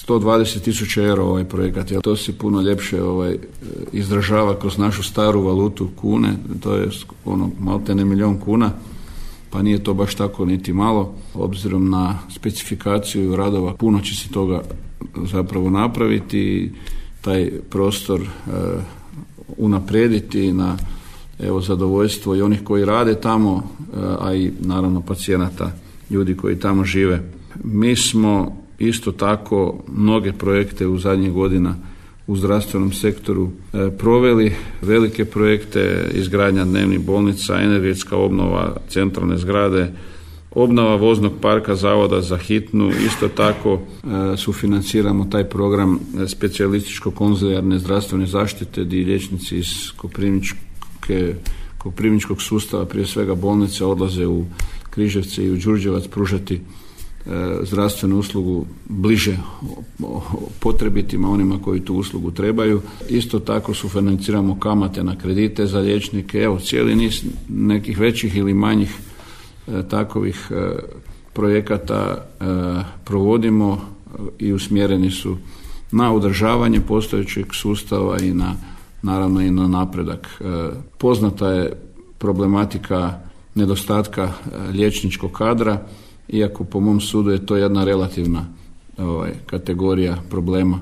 120.000 eura ovaj projekat, jer to se puno ljepše izražava kroz našu staru valutu kune, to je maltene 1 milijun kuna, pa nije to baš tako niti malo. Obzirom na specifikaciju radova, puno će se toga zapravo napraviti, taj prostor unaprijediti na zadovoljstvo i onih koji rade tamo, a i naravno pacijenata, ljudi koji tamo žive. Mi smo isto tako mnoge projekte u zadnjih godina u zdravstvenom sektoru proveli, velike projekte, izgradnja dnevnih bolnica, energetska obnova centralne zgrade, obnova voznog parka Zavoda za hitnu, isto tako sufinanciramo taj program specijalističko-konzilijarne zdravstvene zaštite gdje liječnici iz koprivničkog sustava, prije svega bolnice, odlaze u Križevce i u Đurđevac pružati zdravstvenu uslugu bliže potrebitima, onima koji tu uslugu trebaju. Isto tako sufinanciramo kamate na kredite za liječnike. Cijeli niz nekih većih ili manjih takovih projekata provodimo i usmjereni su na održavanje postojećeg sustava i naravno i na napredak. Poznata je problematika nedostatka liječničkog kadra, iako po mom sudu je to jedna relativna kategorija problema.